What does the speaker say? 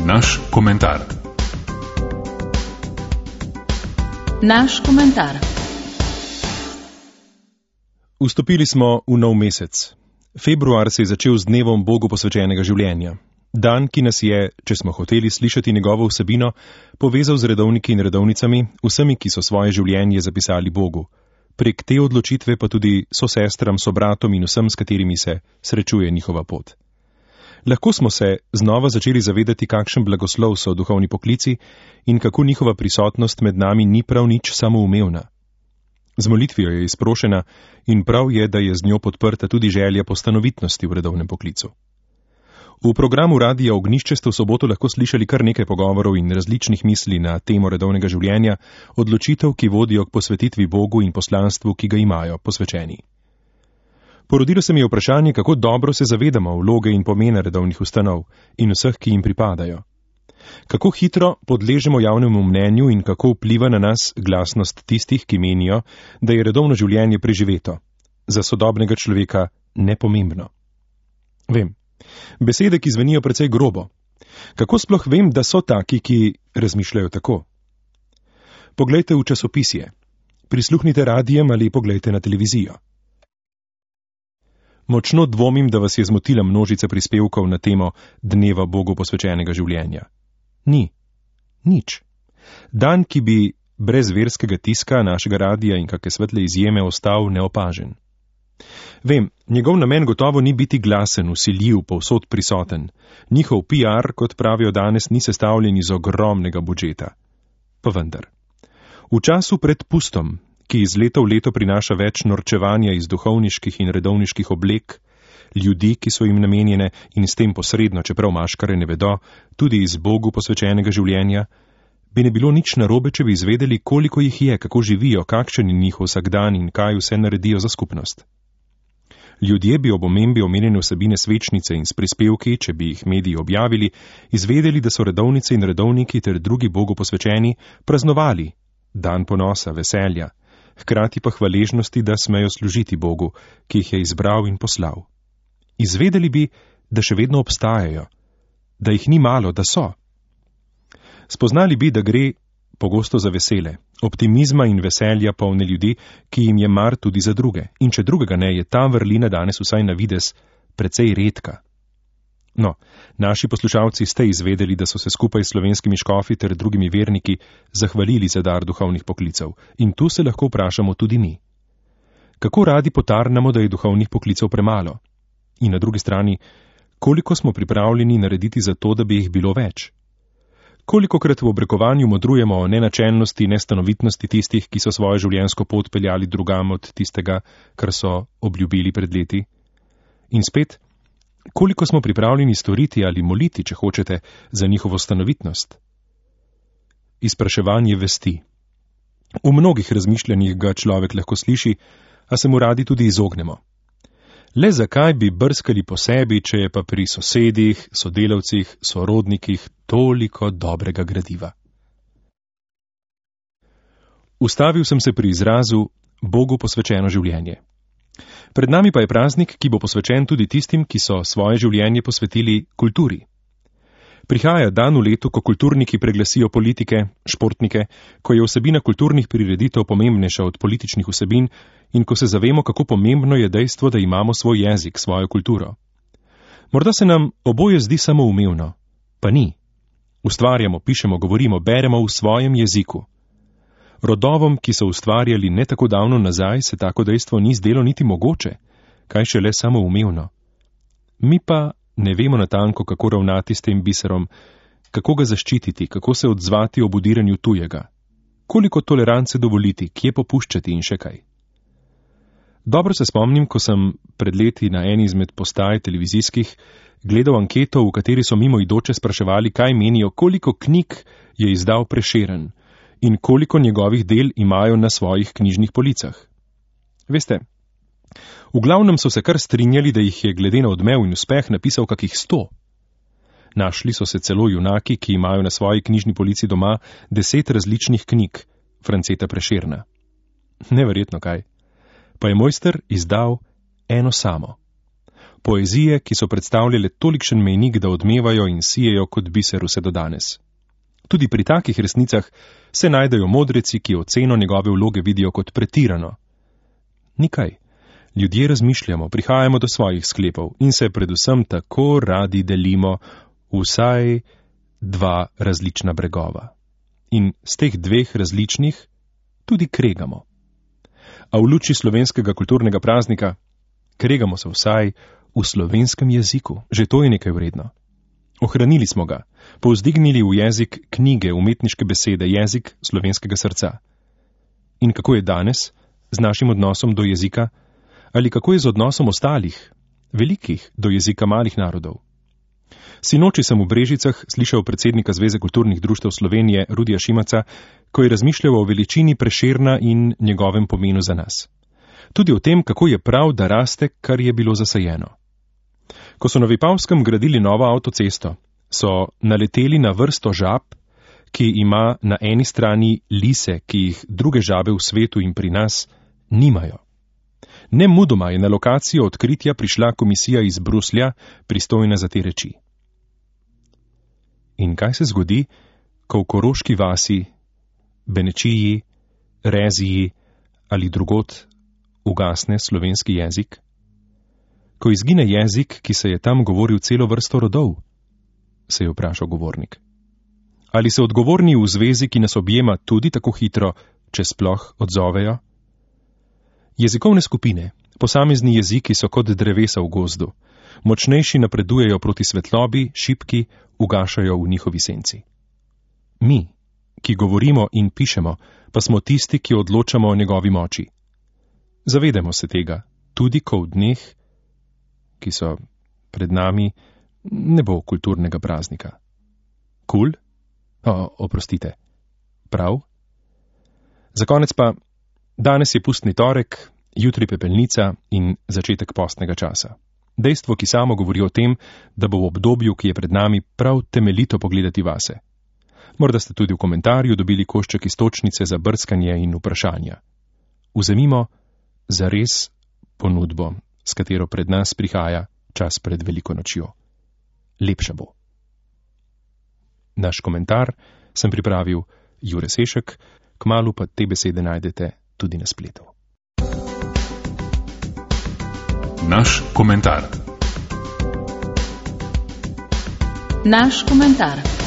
naš komentar. Naš komentar. Vstopili smo v nov mesec. Februar se je začel z dnevom Bogu posvečenega življenja. Dan, ki nas je, če smo hoteli slišati njegovo vsebino, povezal z redovniki in redovnicami, vsemi, ki so svoje življenje zapisali Bogu. Prek te odločitve pa tudi sosestram, sobratom in vsem, s katerimi se srečuje njihova pot. Lahko smo se znova začeli zavedati, kakšen blagoslov so duhovni poklici in kako njihova prisotnost med nami ni prav nič samoumevna. Z molitvijo je izprošena in prav je, da je z njo podprta tudi želja po stanovitnosti v redovnem poklicu. V programu Radia Ognjišče ste v soboto lahko slišali kar nekaj pogovorov in različnih misli na temo redovnega življenja, odločitev, ki vodijo k posvetitvi Bogu in poslanstvu, ki ga imajo posvečeni. Porodilo se mi je vprašanje, kako dobro se zavedamo vloge in pomena redovnih ustanov in vseh, ki jim pripadajo. Kako hitro podležemo javnemu mnenju in kako vpliva na nas glasnost tistih, ki menijo, da je redovno življenje preživeto, za sodobnega človeka nepomembno. Vem, besede, ki zvenijo precej grobo. Kako sploh vem, da so taki, ki razmišljajo tako? Poglejte v časopisje, prisluhnite radijem ali poglejte na televizijo. Močno dvomim, da vas je zmotila množica prispevkov na temo dneva Bogu posvečenega življenja. Ni. Nič. Dan, ki bi brez verskega tiska našega radija in kakšne svetle izjeme ostal neopažen. Vem, njegov namen gotovo ni biti glasen, vsiljiv, povsod prisoten. Njihov PR, kot pravijo danes, ni sestavljen iz ogromnega budžeta. Pa vendar. V času pred pustom, ki iz leta v leto prinaša več norčevanja iz duhovniških in redovniških oblek, ljudi, ki so jim namenjene in s tem posredno, čeprav maškare ne vedo, tudi iz Bogu posvečenega življenja, bi ne bilo nič narobe, če bi izvedeli, koliko jih je, kako živijo, kakšen je njihov vsakdan in kaj vse naredijo za skupnost. Ljudje bi ob omembi omenjene vsebine svečnice in s prispevki, če bi jih mediji objavili, izvedeli, da so redovnice in redovniki ter drugi Bogu posvečeni praznovali dan ponosa, veselja, hkrati pa hvaležnosti, da smejo služiti Bogu, ki jih je izbral in poslal. Izvedeli bi, da še vedno obstajajo, da jih ni malo, da so. Spoznali bi, da gre pogosto za vesele, optimizma in veselja polne ljudi, ki jim je mar tudi za druge. In če drugega ne, je ta vrlina danes vsaj na videz precej redka. No, naši poslušalci ste izvedeli, da so se skupaj s slovenskimi škofi ter drugimi verniki zahvalili za dar duhovnih poklicev. In tu se lahko vprašamo tudi mi. Kako radi potarnamo, da je duhovnih poklicev premalo? In na drugi strani, koliko smo pripravljeni narediti za to, da bi jih bilo več? Kolikokrat v obrekovanju modrujemo o nenačelnosti, nestanovitnosti tistih, ki so svojo življenjsko pot peljali drugam od tistega, kar so obljubili pred leti? In spet, koliko smo pripravljeni storiti ali moliti, če hočete, za njihovo stanovitnost? Izpraševanje vesti. V mnogih razmišljanjih ga človek lahko sliši, a se mu radi tudi izognemo. Le zakaj bi brskali po sebi, če je pa pri sosedih, sodelavcih, sorodnikih toliko dobrega gradiva? Ustavil sem se pri izrazu Bogu posvečeno življenje. Pred nami pa je praznik, ki bo posvečen tudi tistim, ki so svoje življenje posvetili kulturi. Prihaja dan v letu, ko kulturniki preglasijo politike, športnike, ko je vsebina kulturnih prireditev pomembnejša od političnih vsebin in ko se zavemo, kako pomembno je dejstvo, da imamo svoj jezik, svojo kulturo. Morda se nam oboje zdi samoumevno, pa ni. Ustvarjamo, pišemo, govorimo, beremo v svojem jeziku. Rodovom, ki so ustvarjali ne tako davno nazaj, se tako dejstvo ni zdelo niti mogoče, kaj šele samoumevno. Mi pa ne vemo natanko, kako ravnati s tem biserom, kako ga zaščititi, kako se odzvati ob udiranju tujega, koliko tolerance dovoliti, kje popuščati in še kaj. Dobro se spomnim, ko sem pred leti na eni izmed postaj televizijskih gledal anketo, v kateri so mimoidoče spraševali, kaj menijo, koliko knjig je izdal Prešeren in koliko njegovih del imajo na svojih knjižnih policah. Veste, v glavnem so se kar strinjali, da jih je glede na odmev in uspeh napisal kakih 100. Našli so se celo junaki, ki imajo na svoji knjižni polici doma 10 različnih knjig Franceta Prešerna. Neverjetno kaj. Pa je mojster izdal eno samo. poezije, ki so predstavljale tolikšen mejnik, da odmevajo in sijejo kot biser vse do danes. Tudi pri takih resnicah se najdejo modreci, ki oceno njegove vloge vidijo kot pretirano. Nikaj. Ljudje razmišljamo, prihajamo do svojih sklepov in se predvsem tako radi delimo vsaj dva različna bregova. In z teh dveh različnih tudi kregamo. A v luči slovenskega kulturnega praznika kregamo se vsaj v slovenskem jeziku, že to je nekaj vredno. Ohranili smo ga, povzdignili v jezik knjige, umetniške besede, jezik slovenskega srca. In kako je danes z našim odnosom do jezika, ali kako je z odnosom ostalih, velikih, do jezika malih narodov? Sinoči sem v Brežicah slišal predsednika Zveze kulturnih društev Slovenije Rudija Šimaca, ko je razmišljal o veličini Prešerna in njegovem pomenu za nas. Tudi o tem, kako je prav, da raste, kar je bilo zasajeno. Ko so na Vipavskem gradili novo avtocesto, so naleteli na vrsto žab, ki ima na eni strani lise, ki jih druge žabe v svetu in pri nas nimajo. Nemudoma je na lokacijo odkritja prišla komisija iz Bruslja, pristojna za te reči. In kaj se zgodi, ko v Koroški vasi, Benečiji, Reziji ali drugot ugasne slovenski jezik? Ko izgine jezik, ki se je tam govoril celo vrsto rodov, se je vprašal govornik. Ali se odgovorni v zvezi, ki nas objema, tudi tako hitro, če sploh odzovejo? Jezikovne skupine, posamezni jeziki so kot drevesa v gozdu. Močnejši napredujejo proti svetlobi, šibki ugašajo v njihovi senci. Mi, ki govorimo in pišemo, pa smo tisti, ki odločamo o njegovi moči. Zavedamo se tega, tudi ko v dneh, ki so pred nami, ne bo kulturnega praznika. Kul? Oprostite. Prav? Za konec pa, danes je pustni torek, jutri pepelnica in začetek postnega časa. Dejstvo, ki samo govori o tem, da bo v obdobju, ki je pred nami, prav temeljito pogledati vase. Morda ste tudi v komentarju dobili košček iztočnice za brskanje in vprašanja. Vzemimo zares ponudbo, s katero pred nas prihaja čas pred veliko nočjo. Lepša bo. Naš komentar sem pripravil Jure Sešek, kmalu pa te besede najdete tudi na spletu. Naš komentar. Naš komentar.